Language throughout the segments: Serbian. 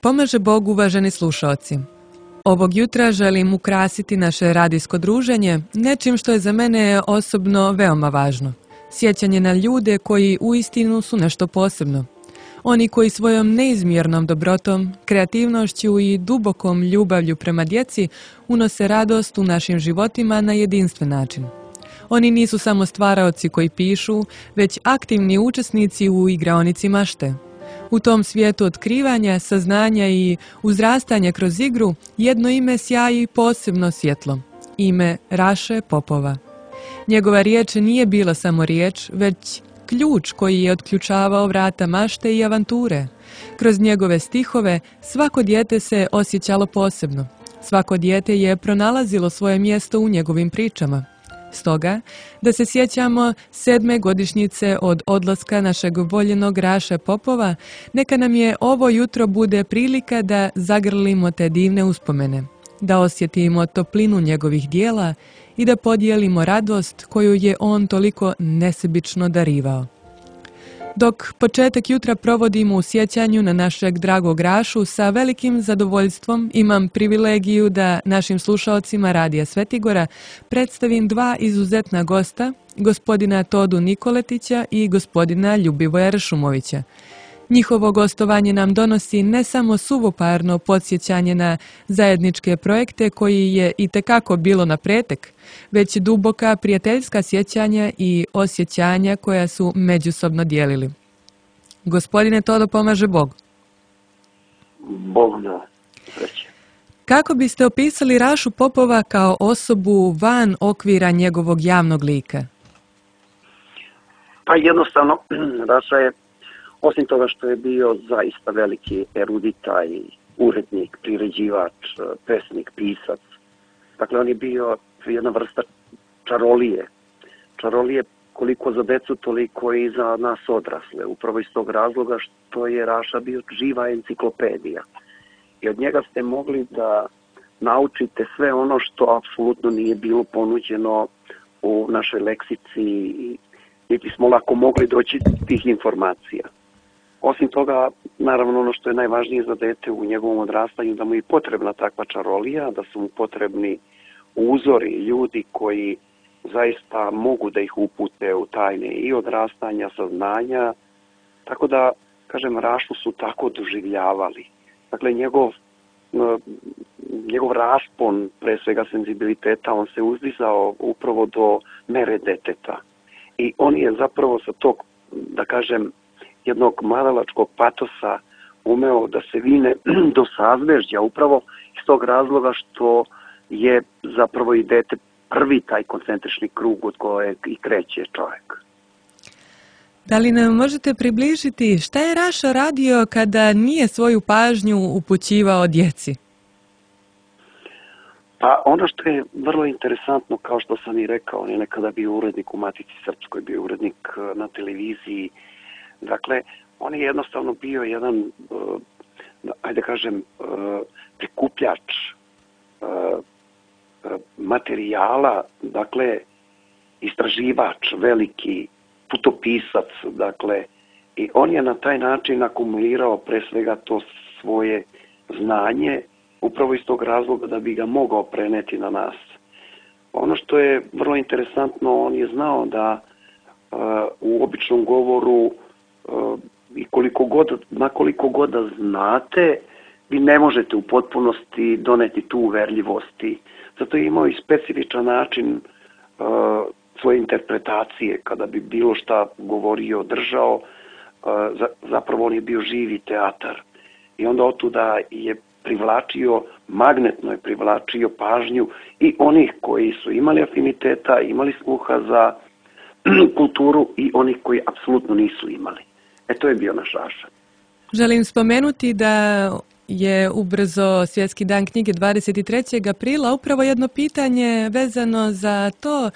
pomaže Bog, uvaženi slušaoci. Ovog jutra želim ukrasiti naše radijsko druženje nečim što je za mene osobno veoma važno. Sjećanje na ljude koji uistinu su nešto posebno. Oni koji svojom neizmjernom dobrotom, kreativnošću i dubokom ljubavlju prema djeci unose radost u našim životima na jedinstven način. Oni nisu samo stvaraoci koji pišu, već aktivni učesnici u igraonici mašte. U tom svijetu otkrivanja, saznanja i uzrastanja kroz igru jedno ime sjaji posebno svjetlo. Ime Raše Popova. Njegova riječ nije bila samo riječ, već ključ koji je otključavao vrata mašte i avanture. Kroz njegove stihove svako dijete se osjećalo posebno. Svako dijete je pronalazilo svoje mjesto u njegovim pričama. Stoga, da se sjećamo 7. godišnjice od odlaska našeg voljenog Raše Popova, neka nam je ovo jutro bude prilika da zagrlimo te divne uspomene, da osjetimo toplinu njegovih dijela i da podijelimo radost koju je on toliko nesebično darivao. Dok početak jutra provodimo u sjećanju na našeg dragog Rašu, sa velikim zadovoljstvom imam privilegiju da našim slušaocima Radija Svetigora predstavim dva izuzetna gosta, gospodina Todu Nikoletića i gospodina Ljubivoja Ršumovića. Njihovo gostovanje nam donosi ne samo suvoparno podsjećanje na zajedničke projekte koji je itekako bilo na pretek, već duboka prijateljska sjećanja i osjećanja koja su međusobno dijelili. Gospodine Todo, pomaže Bog. Bog da, sreće. Kako biste opisali Rašu Popova kao osobu van okvira njegovog javnog lika? Pa jednostavno, Raša je, osim toga što je bio zaista veliki erudita i urednik, priređivač, pesnik, pisac. Dakle, on je bio jedna vrsta čarolije. Čarolije koliko za decu, toliko i za nas odrasle. Upravo iz tog razloga što je Raša bio živa enciklopedija. I od njega ste mogli da naučite sve ono što apsolutno nije bilo ponuđeno u našoj leksici i niti smo lako mogli doći do tih informacija. Osim toga, naravno ono što je najvažnije za dete u njegovom odrastanju, da mu je potrebna takva čarolija, da su mu potrebni uzori, ljudi koji zaista mogu da ih upute u tajne i odrastanja, saznanja. Tako da, kažem, Rašu su tako doživljavali. Dakle, njegov raspon, pre svega senzibiliteta, on se uzdizao upravo do mere deteta. I on je zapravo sa tog, da kažem, jednog mladalačkog patosa umeo da se vine do sazvežđa, upravo iz tog razloga što je zapravo i dete prvi taj koncentrični krug od kojeg i kreće čovjek. Da li nam možete približiti šta je Raša radio kada nije svoju pažnju upućivao djeci? Pa ono što je vrlo interesantno, kao što sam i rekao, on je nekada bio urednik u Matici Srpskoj, bio urednik na televiziji. Dakle, on je jednostavno bio jedan, ajde kažem, prikupljač materijala, dakle, istraživač, veliki putopisac, dakle, i on je na taj način akumulirao pre svega to svoje znanje, upravo iz tog razloga da bi ga mogao preneti na nas. Ono što je vrlo interesantno, on je znao da u običnom govoru i na koliko god da znate, vi ne možete u potpunosti doneti tu uverljivosti. Zato je imao i specifičan način svoje interpretacije, kada bi bilo šta govorio, držao, zapravo on je bio živi teatar. I onda otuda je magnetno je privlačio pažnju i onih koji su imali afiniteta, imali sluha za kulturu i onih koji apsolutno nisu imali. To je bio naš Raša. Želim spomenuti da je ubrzo Svjetski dan knjige 23. aprila upravo jedno pitanje vezano za to.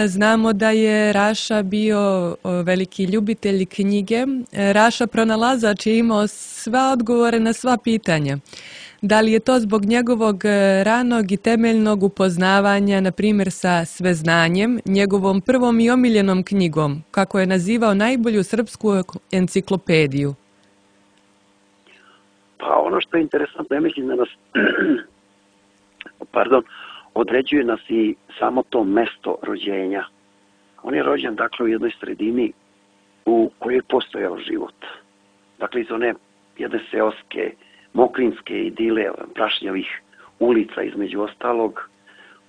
Znamo da je Raša bio veliki ljubitelj knjige. Raša pronalazač je imao sva odgovore na sva pitanja. Da li je to zbog njegovog ranog i temeljnog upoznavanja, na primjer sa Sveznanjem, njegovom prvom i omiljenom knjigom, kako je nazivao najbolju srpsku enciklopediju? Pa ono što je interesantno, ja mislim da nas određuje nas i samo to mesto rođenja. On je rođen, dakle, u jednoj sredini u kojoj je postojao život. Dakle, iz one jedne seoske, mokrinske idile, prašnjavih ulica između ostalog,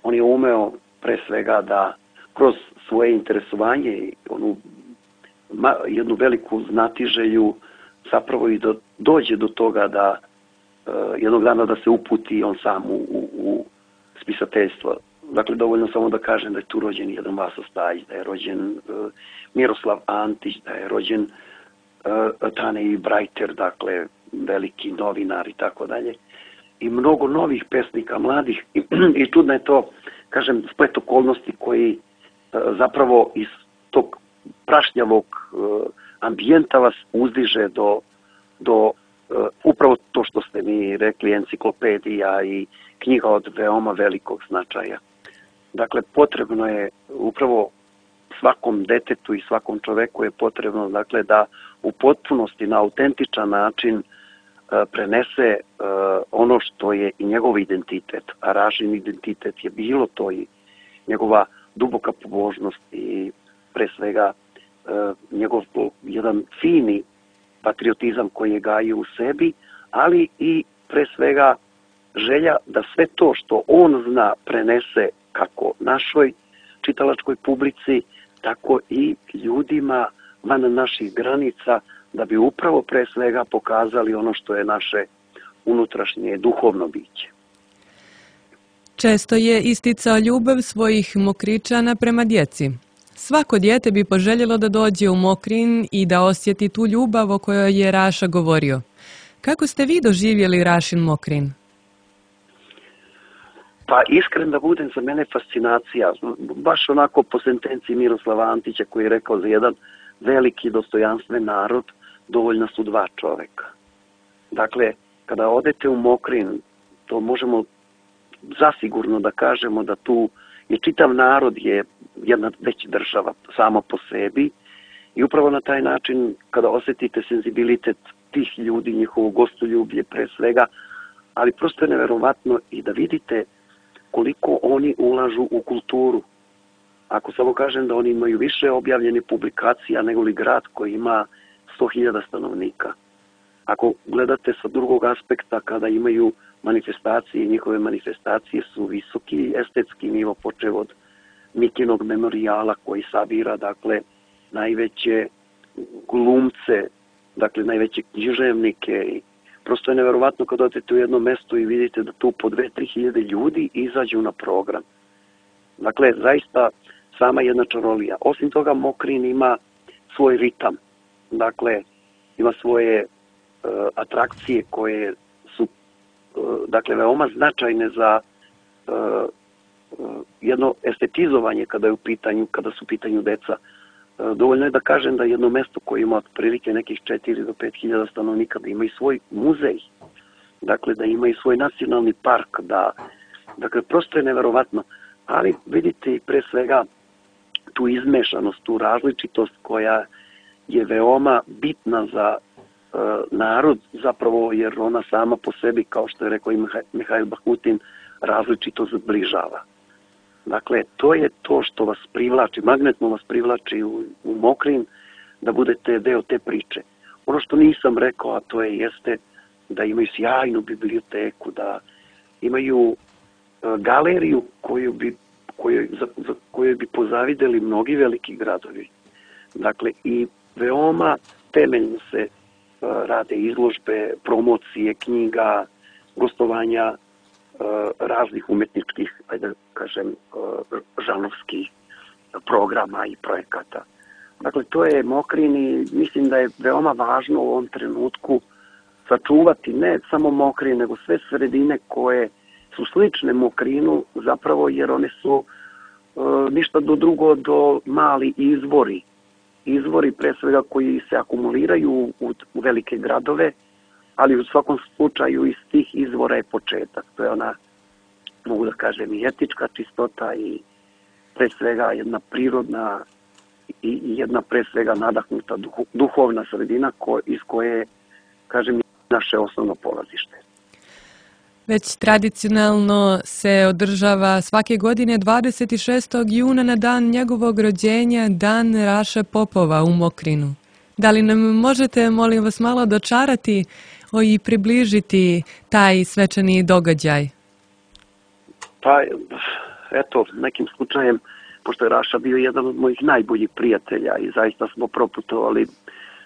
on je umeo pre svega da kroz svoje interesovanje i onu jednu veliku znatiželju zapravo i dođe do toga da jednog dana da se uputi on sam u spisateljstvo. Dakle, dovoljno samo da kažem da je tu rođen jedan Vaso Stajić, da je rođen Miroslav Antić, da je rođen Tane Brajter, dakle, veliki novinar i tako dalje. I mnogo novih pesnika, mladih. I čudno je to, kažem, splet okolnosti koji zapravo iz tog prašnjavog ambijenta vas uzdiže do upravo to što ste mi rekli, enciklopedija i knjiga od veoma velikog značaja. Dakle, potrebno je upravo svakom detetu i svakom čoveku je potrebno, dakle, da u potpunosti na autentičan način prenese ono što je i njegov identitet, a Rašin identitet je bilo to i njegova duboka pobožnost i pre svega njegov jedan fini patriotizam koji je gajio u sebi, ali i pre svega želja da sve to što on zna prenese kako našoj čitalačkoj publici, tako i ljudima van naših granica, da bi upravo pre svega pokazali ono što je naše unutrašnje duhovno biće. Često je isticao ljubav svojih Mokričana prema djeci. Svako dijete bi poželjelo da dođe u Mokrin i da osjeti tu ljubav o kojoj je Raša govorio. Kako ste vi doživjeli Rašin Mokrin? Pa iskren da budem, za mene fascinacija. Baš onako po sentenciji Miroslava Antića koji je rekao za jedan veliki dostojanstven narod dovoljna su dva čoveka. Dakle, kada odete u Mokrin, to možemo zasigurno da kažemo da tu je čitav narod je jedna veća država sama po sebi i upravo na taj način kada osetite senzibilitet tih ljudi, njihovo gostoljublje pre svega, ali prosto je neverovatno i da vidite koliko oni ulažu u kulturu. Ako samo kažem da oni imaju više objavljenih publikacija nego li grad koji ima 100.000 stanovnika. Ako gledate sa drugog aspekta, kada imaju manifestacije, njihove manifestacije su visoki estetski nivo, počev od Mikinog memorijala koji sabira, dakle, najveće glumce, dakle, najveće književnike. I prosto je neverovatno kad odete u jedno mesto i vidite da tu po 2-3 hiljade ljudi izađu na program. Dakle, zaista sama jedna čarolija. Osim toga, Mokrin ima svoj ritam. Dakle, ima svoje atrakcije koje su dakle, veoma značajne za jedno estetizovanje kada su u pitanju deca. Dovoljno je da kažem da jedno mesto koje ima otprilike nekih 4 do 5 hiljada stanovnika, da ima i svoj muzej, dakle da ima i svoj nacionalni park, dakle prosto je neverovatno, ali vidite i pre svega tu izmešanost, tu različitost koja je veoma bitna za narod, zapravo jer ona sama po sebi, kao što je rekao i Mihail Bakutin, različito zbližava. Dakle, to je to što vas privlači, magnetno vas privlači u Mokrin, da budete deo te priče. Ono što nisam rekao, a to jeste da imaju sjajnu biblioteku, da imaju galeriju za koju bi pozavideli mnogi veliki gradovi. Dakle, i veoma temeljno se rade izložbe, promocije, knjiga, gostovanja raznih umetničkih, ajde da kažem, žanrovskih programa i projekata. Dakle, to je Mokrin i mislim da je veoma važno u ovom trenutku sačuvati ne samo Mokrin, nego sve sredine koje su slične Mokrinu, zapravo jer one su ništa drugo do mali izvori. Izvori pre svega koji se akumuliraju u velike gradove, ali u svakom slučaju iz tih izvora je početak. To je ona, mogu da kažem, i etička čistota i pre svega jedna prirodna i jedna pre svega nadahnuta duhovna sredina iz koje, kažem, naše osnovno polazište. Već tradicionalno se održava svake godine 26. juna na dan njegovog rođenja, dan Raše Popova u Mokrinu. Da li nam možete, molim vas, malo dočarati i približiti taj svečani događaj? Pa, eto, nekim slučajem, pošto je Raša bio jedan od mojih najboljih prijatelja i zaista smo proputovali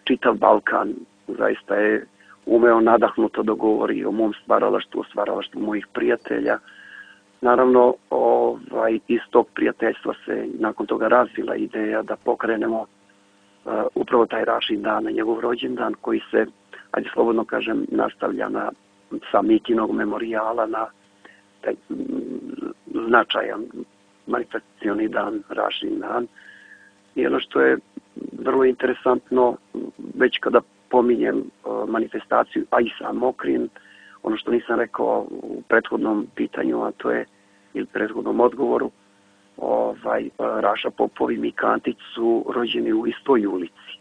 čitav Balkan, zaista je umeo nadahnuto da govori o mom stvaralaštvu, o stvaralaštvu mojih prijatelja. Naravno, iz tog prijateljstva se nakon toga razvila ideja da pokrenemo upravo taj Rašin dan, na njegov rođendan, koji se, ajde slobodno kažem, nastavlja sa Mikinog memorijala na taj značajan manifestacioni dan, Rašin dan. I ono što je vrlo interesantno, već kada pominjem manifestaciju, a i sam Mokrin, ono što nisam rekao u prethodnom pitanju, a to je, ili prethodnom odgovoru, Raša Popov i Mika Antić su rođeni u istoj ulici.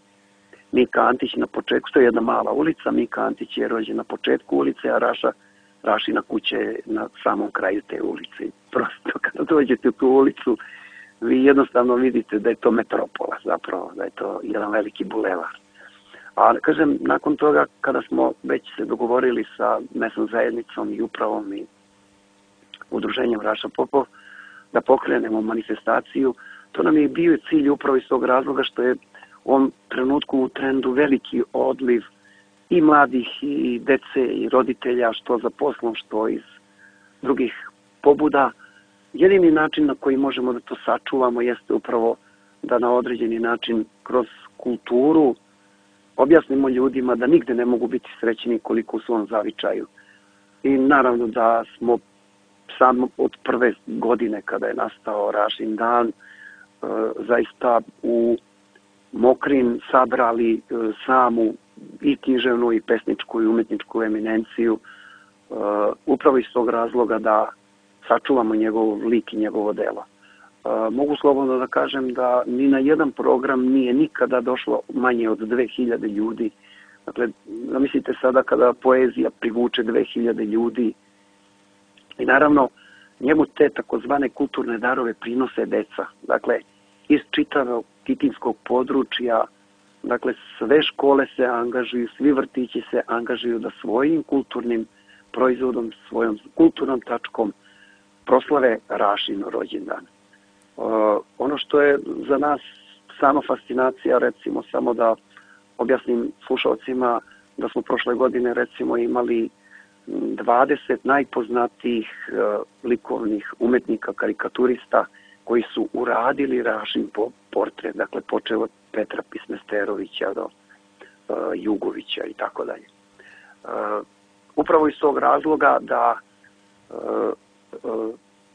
Mika Antić na početku, to je jedna mala ulica, Mika Antić je rođen na početku ulice, a Rašina kuća je na samom kraju te ulice. Prosto kada dođete u tu ulicu, vi jednostavno vidite da je to metropola zapravo, da je to jedan veliki bulevar. A kažem, nakon toga kada smo već se dogovorili sa mesnom zajednicom i upravom i udruženjem Raša Popov da pokrenemo manifestaciju, to nam je bio cilj upravo iz tog razloga što je u ovom trenutku u trendu veliki odliv i mladih i dece i roditelja, što za poslom, što iz drugih pobuda. Jedini način na koji možemo da to sačuvamo jeste upravo da na određeni način kroz kulturu objasnimo ljudima da nigde ne mogu biti srećni koliko u svom zavičaju. I naravno da smo samo od prve godine kada je nastao Rašin dan zaista u Mokrin sabrali samu i književnu i pesničku i umetničku eminenciju upravo iz tog razloga da sačuvamo njegov lik i njegovo delo. Mogu slobodno da kažem da ni na jedan program nije nikada došlo manje od 2000 ljudi. Dakle, zamislite sada kada poezija privuče 2000 ljudi i naravno njemu te takozvane kulturne darove prinose deca. Dakle, iz čitavog kikinskog područja, dakle, sve škole se angažuju, svi vrtići se angažuju da svojim kulturnim proizvodom, svojom kulturnom tačkom proslave Rašin rođendan. Ono što je za nas sama fascinacija, recimo samo da objasnim slušalcima da smo prošle godine recimo imali 20 najpoznatijih likovnih umetnika, karikaturista koji su uradili Rašin portret, dakle počeo od Petra Pismesterovića do Jugovića i tako dalje. Upravo iz tog razloga da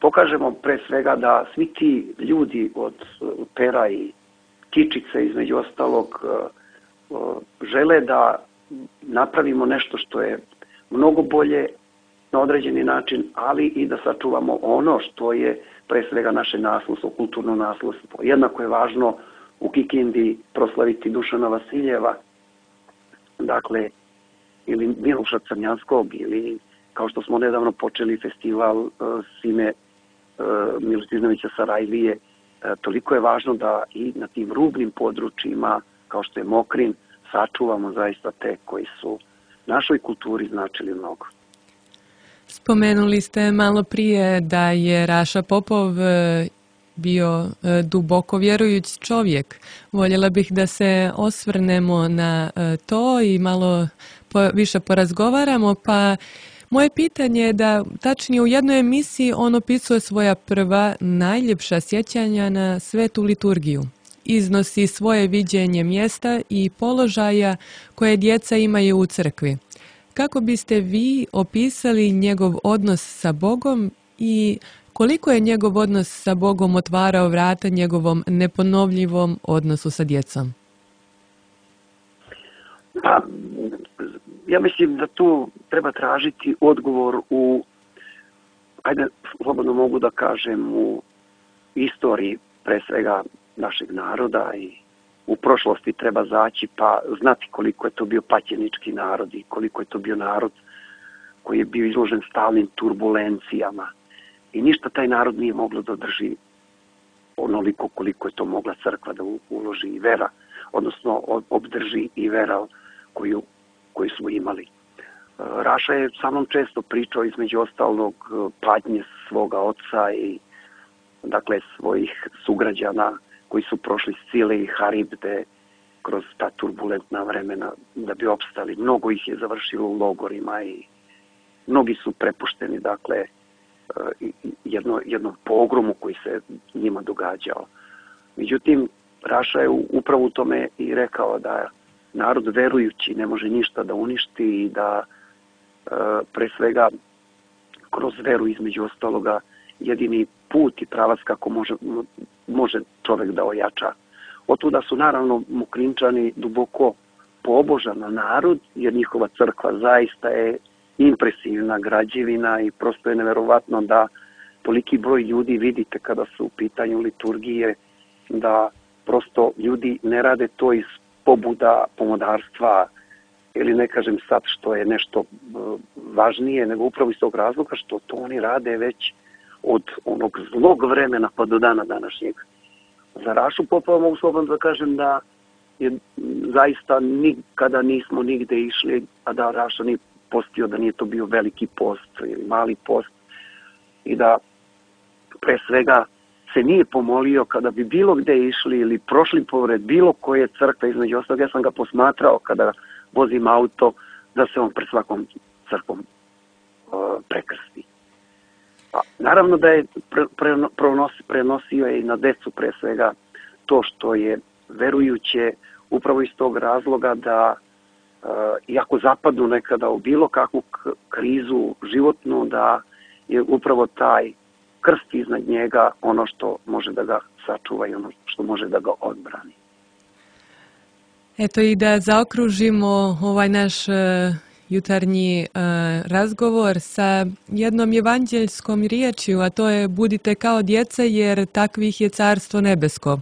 pokažemo pre svega da svi ti ljudi od pera i kičice između ostalog žele da napravimo nešto što je mnogo bolje na određeni način, ali i da sačuvamo ono što je pre svega naše nasledstvo, kulturno nasledstvo. Jednako je važno u Kikindi proslaviti Dušana Vasiljeva, dakle, ili Miloša Crnjanskog, ili kao što smo nedavno počeli festival Sime Milutinovića Sarajlije, toliko je važno da i na tim rubnim područjima, kao što je Mokrin, sačuvamo zaista te koji su našoj kulturi značili mnogo. Spomenuli ste malo prije da je Raša Popov bio duboko vjerujuć čovjek. Voljela bih da se osvrnemo na to i malo više porazgovaramo, pa moje pitanje je da tačnije u jednoj emisiji on opisuje svoja prva najljepša sjećanja na svetu liturgiju. Iznosi svoje viđenje mjesta i položaja koje djeca imaju u crkvi. Kako biste vi opisali njegov odnos sa Bogom i koliko je njegov odnos sa Bogom otvarao vrata njegovom neponovljivom odnosu sa djecom? Pa, ja mislim da tu treba tražiti odgovor ajde, slobodno mogu da kažem, u istoriji pre svega našeg naroda i u prošlosti treba zaći pa znati koliko je to bio patjenički narod i koliko je to bio narod koji je bio izložen stalnim turbulencijama. I ništa taj narod nije moglo da održi onoliko koliko je to mogla crkva da uloži i vera, odnosno obdrži i vera koju smo imali. Raša je sa mnom često pričao između ostalog patnje svoga oca i dakle svojih sugrađana koji su prošli Scile i Haribde kroz ta turbulentna vremena da bi opstali. Mnogo ih je završilo u logorima i mnogi su prepušteni dakle jednom pogromu koji se njima događao. Međutim, Raša je upravo u tome i rekao da narod verujući ne može ništa da uništi i da pre svega kroz veru između ostaloga jedini put i pravac kako može čovek da ojača. Otuda su naravno Mokrinčani duboko pobožan narod, jer njihova crkva zaista je impresivna građevina i prosto je neverovatno da toliki broj ljudi vidite kada su u pitanju liturgije, da prosto ljudi ne rade to iz pobuda pomodarstva ili ne kažem sad što je nešto važnije, nego upravo iz tog razloga što to oni rade već od onog zlog vremena pa do dana današnjeg. Za Rašu Popova mogu slobodno da kažem da je zaista nikada nismo nigde išli, a da Raša nije postio, da nije to bio veliki post ili mali post i da pre svega se nije pomolio kada bi bilo gde išli ili prošli pored bilo koje crkve, između ostalog ja sam ga posmatrao kada vozim auto da se on pred svakom crkvom prekrsti. Naravno da je prenosio i na decu pre svega to što je verujuće upravo iz tog razloga da iako zapadnu nekada u bilo kakvu krizu životnu, da je upravo taj krst iznad njega ono što može da ga sačuva i ono što može da ga odbrani. Eto i da zaokružimo ovaj naš jutarnji razgovor sa jednom evanđeljskom riječju, a to je budite kao djeca jer takvih je carstvo nebesko.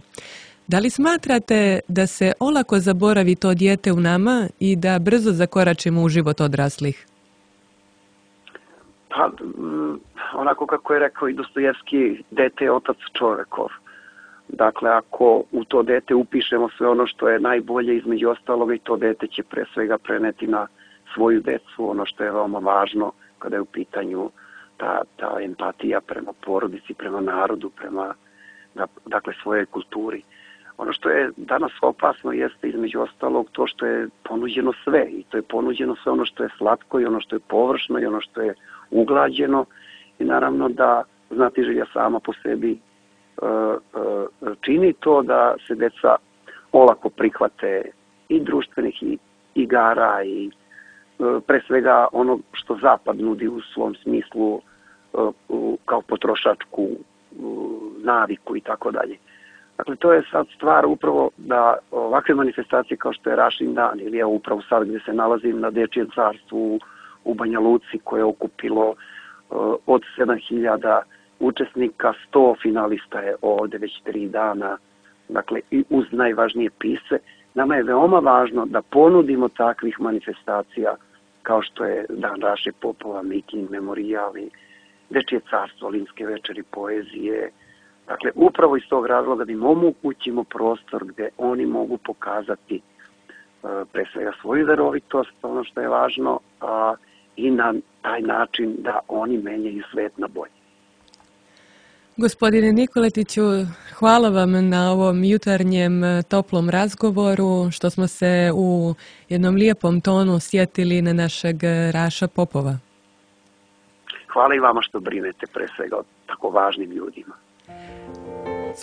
Da li smatrate da se olako zaboravi to dijete u nama i da brzo zakoračimo u život odraslih? Pa, onako kako je rekao i Dostojevski, dete je otac čovekov. Dakle, ako u to dete upišemo sve ono što je najbolje između ostaloga i to dete će pre svega preneti na svoju decu, ono što je veoma važno kada je u pitanju ta empatija prema porodici, prema narodu, prema dakle, svojoj kulturi. Ono što je danas opasno jeste između ostalog to što je ponuđeno sve i to je ponuđeno sve ono što je slatko i ono što je površno i ono što je uglađeno i naravno da znatiželja sama po sebi čini to da se deca olako prihvate i društvenih i igara i pre svega ono što zapad nudi u svom smislu kao potrošačku naviku i tako dalje. Dakle, to je sad stvar upravo da ovakve manifestacije kao što je Rašin dan ili evo upravo sad gdje se nalazim na Dečijem carstvu u Banja Luci koje je okupilo od 7000 učesnika, 100 finalista je ovde već 3 dana, dakle i uz najvažnije pisce. Nama je veoma važno da ponudimo takvih manifestacija kao što je Dan Raše Popova, miting, memorijali, Dečije carstvo, Limske večeri poezije. Dakle, upravo iz tog razloga da im omogućimo prostor gde oni mogu pokazati pre svega svoju verovitost, ono što je važno, i na taj način da oni menjaju svet na bolje. Gospodine Nikoletiću, hvala vam na ovom jutarnjem toplom razgovoru, što smo se u jednom lijepom tonu sjetili na našeg Raša Popova. Hvala i vama što brinete pre svega o tako važnim ljudima.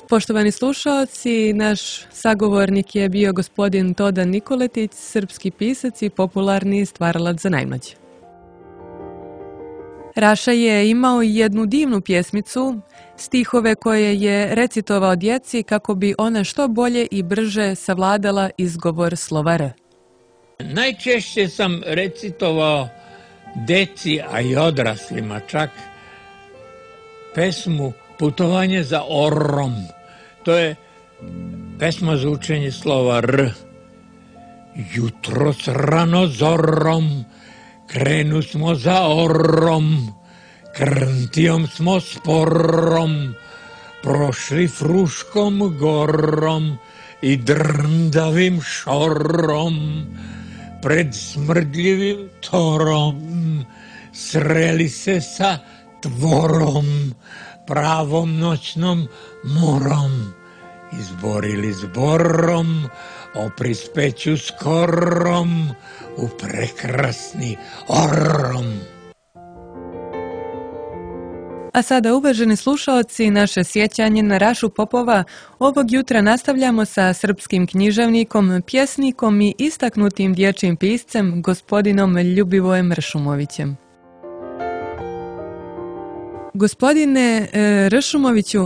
Poštovani slušaoci, naš sagovornik je bio gospodin Todan Nikoletić, srpski pisac i popularni stvaralac za najmlađe. Raša je imao jednu divnu pjesmicu, stihove koje je recitovao djeci kako bi ona što bolje i brže savladala izgovor slova R. Najčešće sam recitovao deci, a i odraslima čak, pesmu Putovanje za Orrom. To je Pesma za učenje slova R. Jutros rano zorom krenu smo za orom, krntijom smo sporom prošli Fruškom gorom i drndavim šorom pred smrdljivim torom sreli se sa tvorom pravom noćnom morom, izborili zborom o prispeću skorom u prekrasni orom. A sada, uvaženi slušaoci, naše sjećanje na Rašu Popova ovog jutra nastavljamo sa srpskim književnikom, pjesnikom i istaknutim dječjim piscem, gospodinom Ljubivojem Ršumovićem. Gospodine Ršumoviću,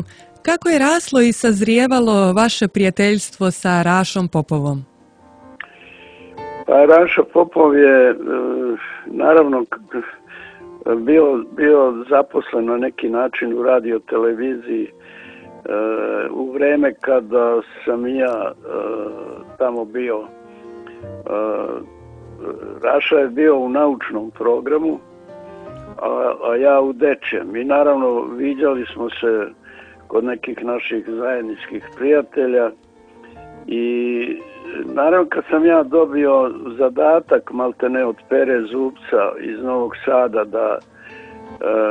kako je raslo i sazrijevalo vaše prijateljstvo sa Rašom Popovom? Pa Raša Popov je naravno bio zaposlen na neki način u radioteleviziji u vreme kada sam ja tamo bio. Raša je bio u naučnom programu, a ja u dečjem. I naravno viđali smo se kod nekih naših zajedničkih prijatelja i naravno kad sam ja dobio zadatak maltene od Pere Zubca iz Novog Sada da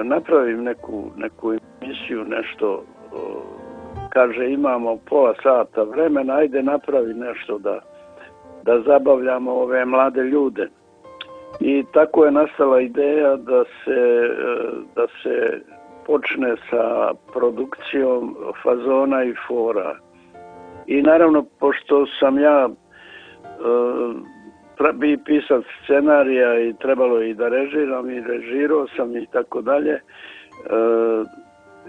napravim neku emisiju, nešto, kaže imamo pola sata vremena, ajde napravi nešto da zabavljamo ove mlade ljude. I tako je nastala ideja da se počne sa produkcijom fazona i fora. I naravno, pošto sam ja bi pisac scenarija i trebalo i da režiram i režirao sam i tako dalje,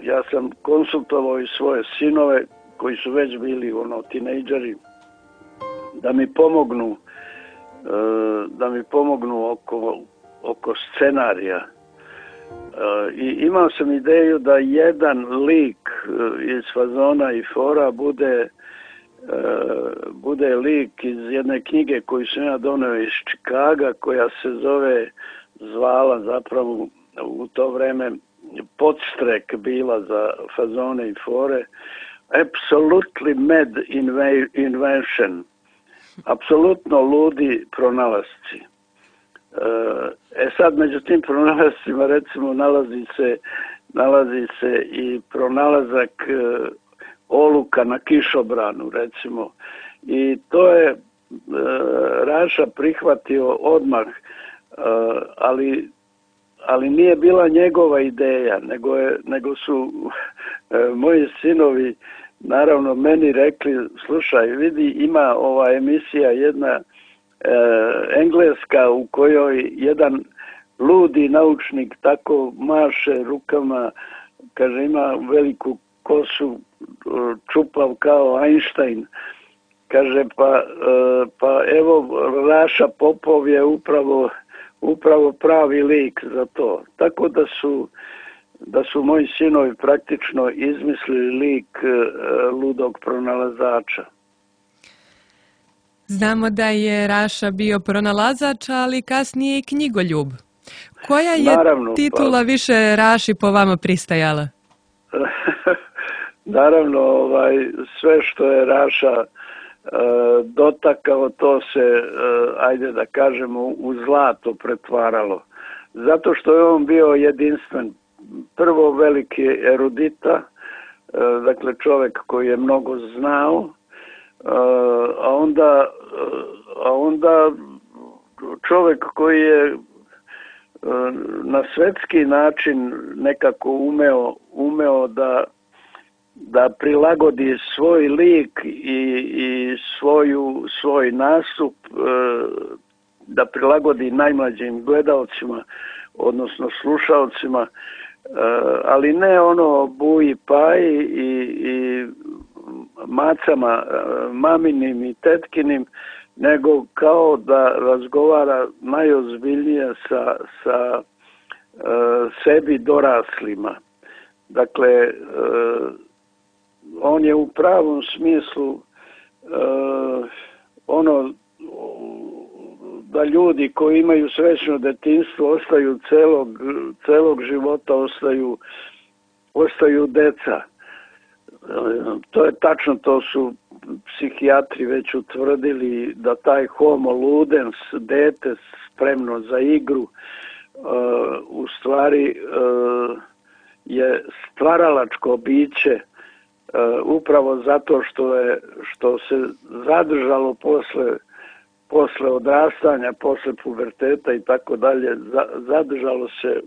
ja sam konsultovao i svoje sinove koji su već bili tinejdžeri da mi pomognu oko scenarija. I imao sam ideju da jedan lik iz fazona i fora bude lik iz jedne knjige koju sam ja doneo iz Čikaga, koja se zvala zapravo u to vreme podstrek bila za fazone i fore, Absolutely Mad Invention, apsolutno ludi pronalasci. Sad među tim pronalascima recimo nalazi se i pronalazak oluka na kišobranu recimo, i to je Raša prihvatio odmah, ali nije bila njegova ideja, nego su moji sinovi naravno meni rekli, slušaj, vidi, ima ova emisija jedna engleska u kojoj jedan ludi naučnik tako maše rukama, kaže ima veliku kosu, čupav kao Einstein, kaže pa evo Raša Popov je upravo pravi lik za to. Tako da su moji sinovi praktično izmislili lik ludog pronalazača. Znamo da je Raša bio pronalazač, ali kasnije i knjigoljub. Koja je titula više Raši po vama pristajala? Naravno, sve što je Raša dotakao, to se, ajde da kažemo, u zlato pretvaralo. Zato što je on bio jedinstven. Prvo veliki erudita, dakle čovjek koji je mnogo znao, a onda čovjek koji je na svjetski način nekako umeo da prilagodi svoj lik i svoj nastup, da prilagodi najmlađim gledalcima, odnosno slušalcima, ali ne ono buji paji i macama maminim i tetkinim, nego kao da razgovara najozbiljnije sa sebi doraslima. Dakle, on je u pravom smislu ono da ljudi koji imaju srećno detinjstvo ostaju celog života, ostaju deca. To je tačno, to su psihijatri već utvrdili, da taj homo ludens, dete spremno za igru, u stvari je stvaralačko biće, upravo zato što se zadržalo posle odrastanja, posle puberteta i tako dalje, zadržalo se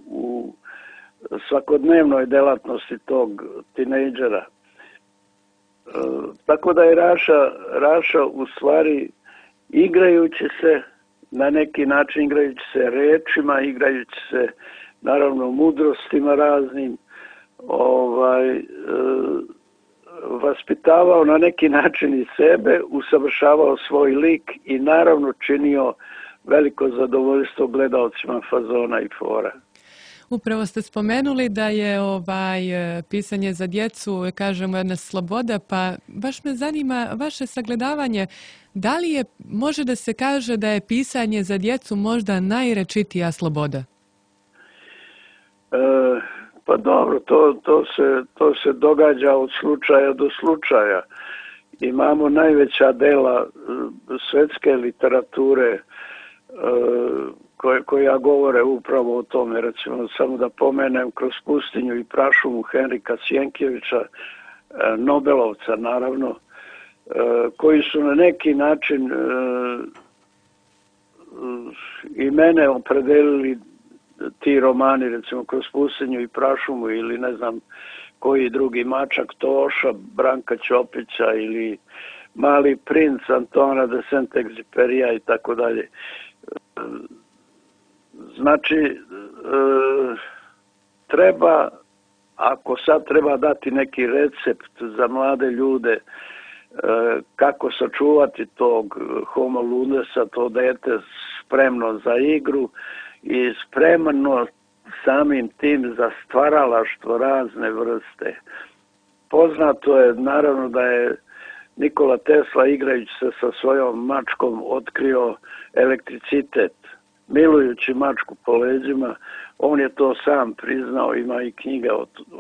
u svakodnevnoj delatnosti tog tinejdžera. Tako da je Raša u stvari, igrajući se na neki način, igrajući se rečima, igrajući se naravno mudrostima raznim, vaspitavao na neki način i sebe, usavršavao svoj lik i naravno činio veliko zadovoljstvo gledaocima Fazona i Fora. Upravo ste spomenuli da je pisanje za djecu, kažemo, jedna sloboda, pa baš me zanima vaše sagledavanje. Da li može da se kaže da je pisanje za djecu možda najrečitija sloboda? Pa dobro, to se događa od slučaja do slučaja. Imamo najveća dela svetske literature koja govore upravo o tome. Recimo, samo da pomenem Kroz pustinju i prašumu Henrika Sjenkjevića, Nobelovca naravno, koji su na neki način i mene opredelili, ti romani, recimo Kroz pustinju i prašumu, ili ne znam koji drugi, Mačak Toša, Branka Ćopića, ili Mali princ Antona de Saint-Exupéryja i tako dalje. Znači, ako sad treba dati neki recept za mlade ljude kako sačuvati tog homo ludesa, to dete spremno za igru i spremno samim tim za stvaralaštvo razne vrste. Poznato je naravno da je Nikola Tesla, igrajući se sa svojom mačkom, otkrio elektricitet. Milujući mačku po leđima, on je to sam priznao, ima i knjiga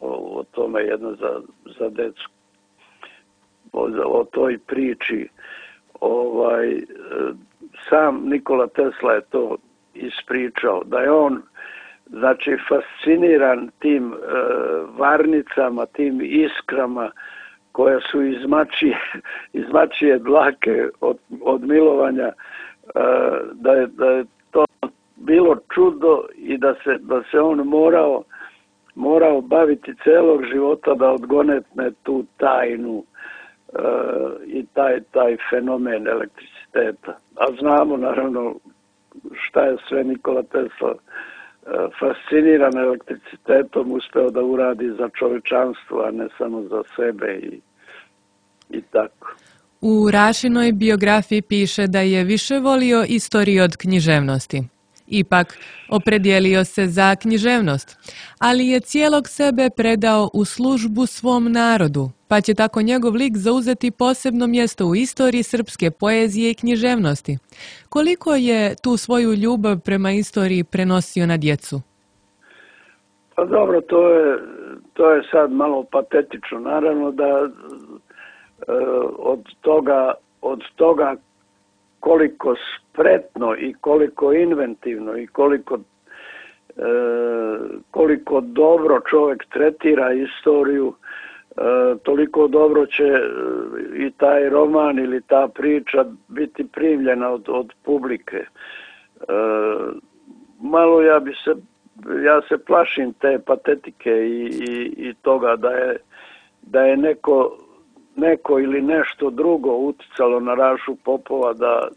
o tome, jedna za decu, o toj priči. Sam Nikola Tesla je to ispričao, da je on, znači, fasciniran tim varnicama, tim iskrama koja su iz mačije dlake od milovanja, da je to bilo čudo i da se on morao baviti celog života da odgonetne tu tajnu i taj fenomen elektriciteta. A znamo naravno šta je sve Nikola Tesla fasciniran elektricitetom uspeo da uradi za čovečanstvo, a ne samo za sebe i tako. U Rašinoj biografiji piše da je više volio istoriju od književnosti. Ipak, opredijelio se za književnost, ali je cijelog sebe predao u službu svom narodu, pa će tako njegov lik zauzeti posebno mjesto u istoriji srpske poezije i književnosti. Koliko je tu svoju ljubav prema istoriji prenosio na djecu? Pa dobro, to je sad malo patetično. Naravno da od toga koliko spretno i koliko inventivno i koliko dobro čovjek tretira istoriju, toliko dobro će i taj roman ili ta priča biti primljena od publike. Malo ja se plašim te patetike i toga da je neko ili nešto drugo uticalo na Rašu Popova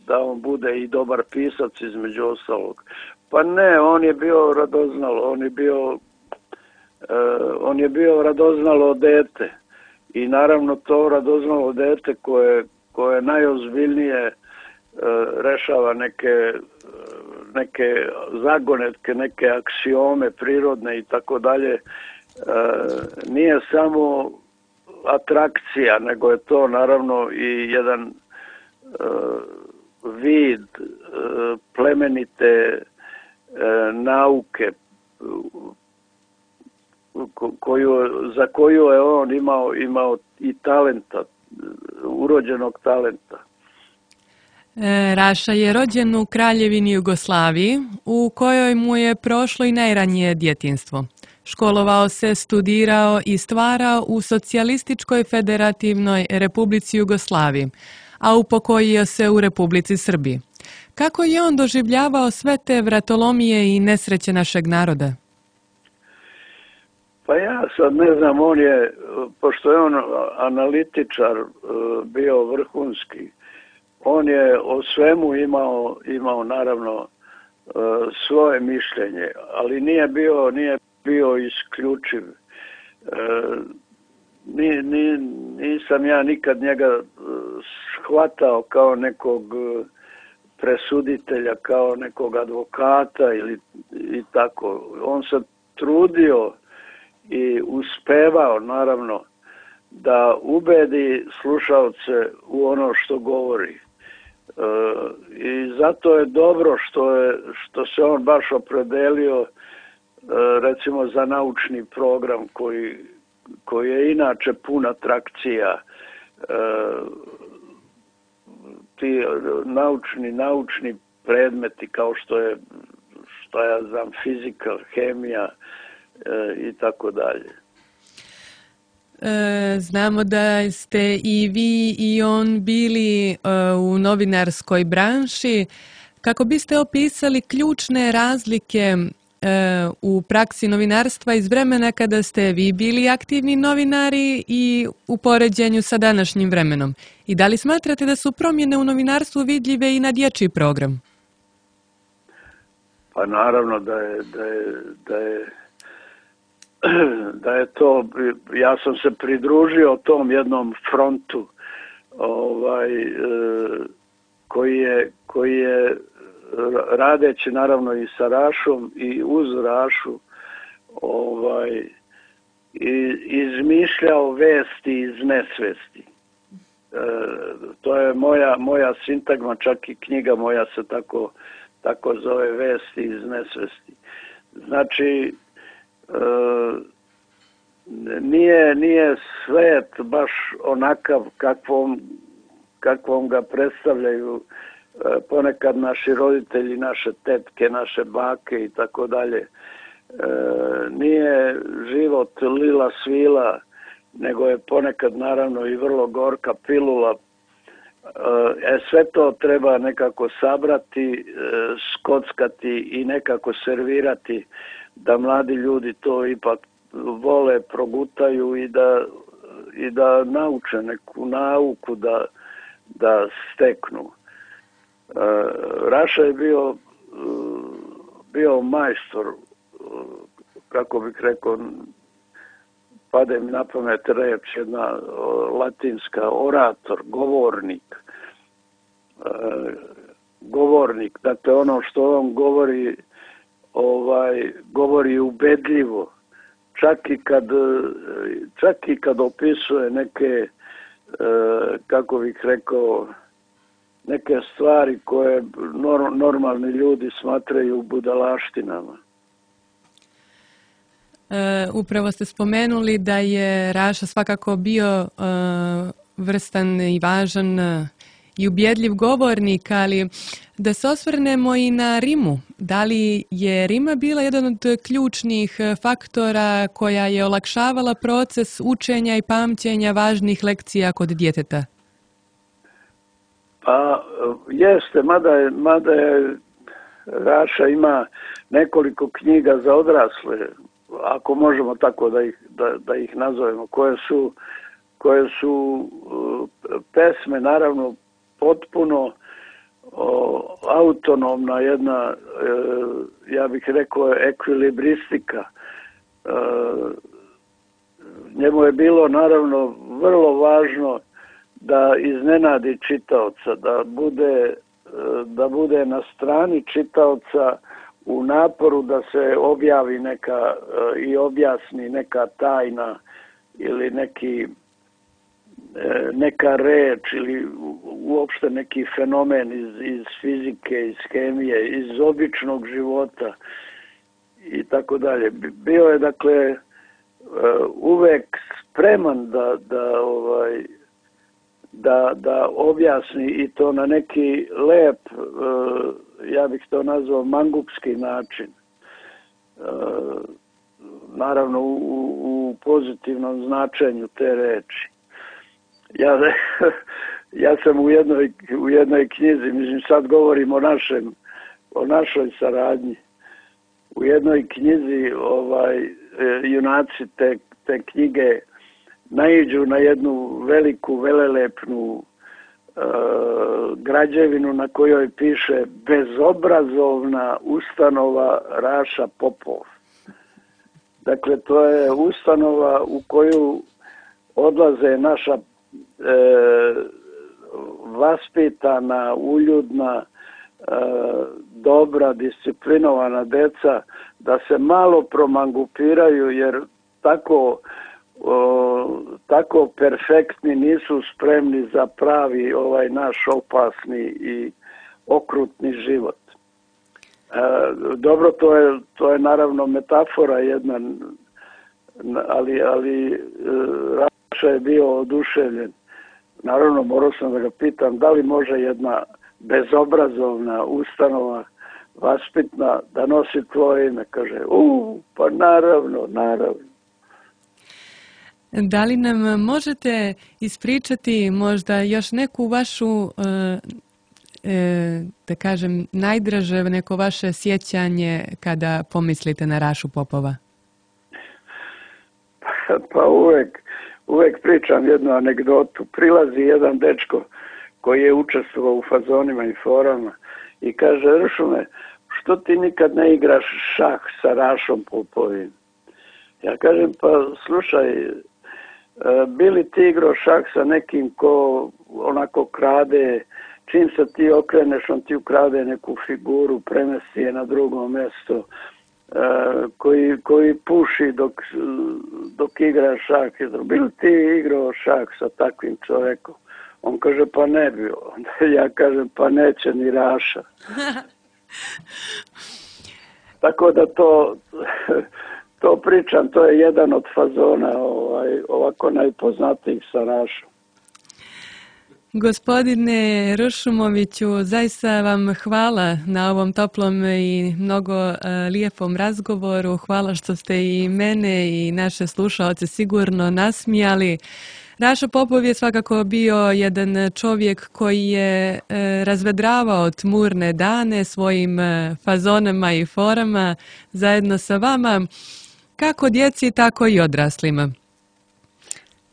da on bude i dobar pisac između ostalog. Pa ne, on je bio radoznalo, on je bio radoznalo dete i naravno to radoznalo dete koje najozbiljnije rešava neke zagonetke, neke aksiome prirodne i tako dalje, nije samo atrakcija, nego je to naravno i jedan vid plemenite nauke za koju je on imao i talenta, urođenog talenta. Raša je rođen u Kraljevini Jugoslaviji, u kojoj mu je prošlo i najranije djetinjstvo. Školovao se, studirao i stvarao u Socijalističkoj federativnoj Republici Jugoslaviji, a upokojio se u Republici Srbiji. Kako je on doživljavao sve te vratolomije i nesreće našeg naroda? Pa ja sad ne znam, pošto je on analitičar bio vrhunski, on je o svemu imao naravno svoje mišljenje, ali nije bio isključiv. Nisam ja nikad njega shvatao kao nekog presuditelja, kao nekog advokata i tako. On se trudio i uspevao naravno da ubedi slušaoce u ono što govori. I zato je dobro što se on baš opredelio recimo za naučni program koji je inače pun atrakcija. Ti naučni predmeti kao što je, šta ja znam, fizika, hemija i tako dalje. Znamo da ste i vi i on bili u novinarskoj branši. Kako biste opisali ključne razlike u praksi novinarstva iz vremena kada ste vi bili aktivni novinari i u poređenju sa današnjim vremenom? I da li smatrate da su promjene u novinarstvu vidljive i na dječji program? Pa naravno da je to, ja sam se pridružio tom jednom frontu koji je radeći naravno i sa Rašom i uz Rašu izmišljao vesti iz nesvesti. To je moja sintagma, čak i knjiga moja se tako zove, Vesti iz nesvesti. Znači, nije svet baš onakav kakvom ga predstavljaju ponekad naši roditelji, naše tetke, naše bake i tako dalje. Nije život lila svila, nego je ponekad naravno i vrlo gorka pilula. Sve to treba nekako sabrati, skockati i nekako servirati da mladi ljudi to ipak vole, progutaju i da nauče neku nauku da steknu. Raša je bio majstor, kako bih rekao, pade mi na pamet reč, jedna latinska, orator, govornik. Dakle, ono što on govori ubedljivo. Čak i kad opisuje neke, kako bih rekao, neke stvari koje normalni ljudi smatraju budalaštinama. Upravo ste spomenuli da je Raša svakako bio vrstan i važan i ubjedljiv govornik, ali da se osvrnemo i na rimu. Da li je rima bila jedan od ključnih faktora koja je olakšavala proces učenja i pamćenja važnih lekcija kod djeteta? Pa jeste, mada je Raša ima nekoliko knjiga za odrasle, ako možemo tako da ih nazovemo, koje su pesme naravno potpuno autonomna jedna, ja bih rekao, ekvilibristika. Njemu je bilo naravno vrlo važno da iznenadi čitaoca, da bude na strani čitaoca u naporu da se objavi neka i objasni neka tajna ili neki neka reč ili uopšte neki fenomen iz fizike, iz hemije, iz običnog života i tako dalje. Bio je, dakle, uvek spreman da objasni i to na neki lep, ja bih to nazvao mangupski način. Naravno u pozitivnom značenju te reči. Ja sam u jednoj knjizi, mislim sad govorim o našoj saradnji, u jednoj knjizi junaci te knjige naiđu na jednu veliku, velelepnu građevinu na kojoj piše bezobrazovna ustanova Raša Popov. Dakle, to je ustanova u koju odlaze naša vaspitana, uljudna, dobra, disciplinovana deca da se malo promangupiraju jer tako perfektni nisu spremni za pravi naš opasni i okrutni život. Dobro, to je naravno metafora jedna, ali Raša je bio oduševljen. Naravno, morao sam da ga pitam da li može jedna bezobrazovna ustanova vaspitna da nosi tvoje ime. Kaže, pa naravno. Da li nam možete ispričati možda još neku vašu, da kažem, najdraže neko vaše sjećanje kada pomislite na Rašu Popova? Pa uvek pričam jednu anegdotu. Prilazi jedan dečko koji je učestvovao u fazonima i forama i kaže, Ršume, što ti nikad ne igraš šah sa Rašom Popovim? Ja kažem, pa slušaj, bili ti igrao šah sa nekim ko onako krade, čim se ti okreneš, on ti ukrade neku figuru, premesti je na drugo mjesto, koji puši dok igra šah. Bili ti igrao šah sa takvim čovjekom? On kaže, pa ne bi. Onda ja kažem, pa neće ni Raša. Tako da to pričam, to je jedan od fazona ovako najpoznatijih sa Rašom. Gospodine Ršumoviću, zaista vam hvala na ovom toplom i mnogo lijepom razgovoru. Hvala što ste i mene i naše slušaoce sigurno nasmijali. Raša Popov je svakako bio jedan čovjek koji je razvedravao tmurne dane svojim fazonama i forama zajedno sa vama, kako djeci, tako i odraslima.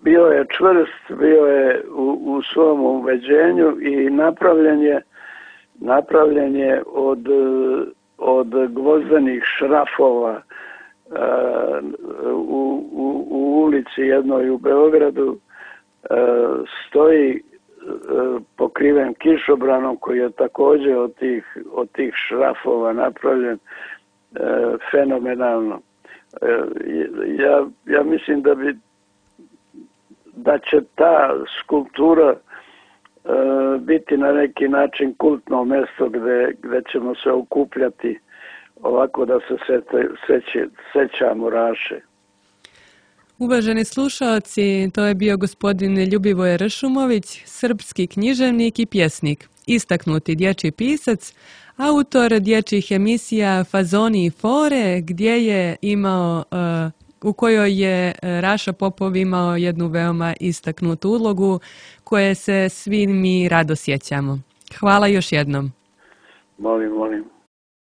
Bio je čvrst, bio je u svom uveđenju i napravljen je od gvozdenih šrafova u ulici jednoj u Beogradu. Stoji pokriven kišobranom koji je također od tih šrafova napravljen fenomenalno. Ja mislim da će ta skulptura biti na neki način kultno mjesto gdje ćemo se okupljati ovako da se sećamo Raše. Uvaženi slušaoci, to je bio gospodin Ljubivoj Ršumović, srpski književnik i pjesnik, istaknuti dječji pisac, autor dječjih emisija Fazoni i fore, gdje je imao, u kojoj je Raša Popov imao jednu veoma istaknutu ulogu koje se svi mi rado sjećamo. Hvala još jednom. Molim.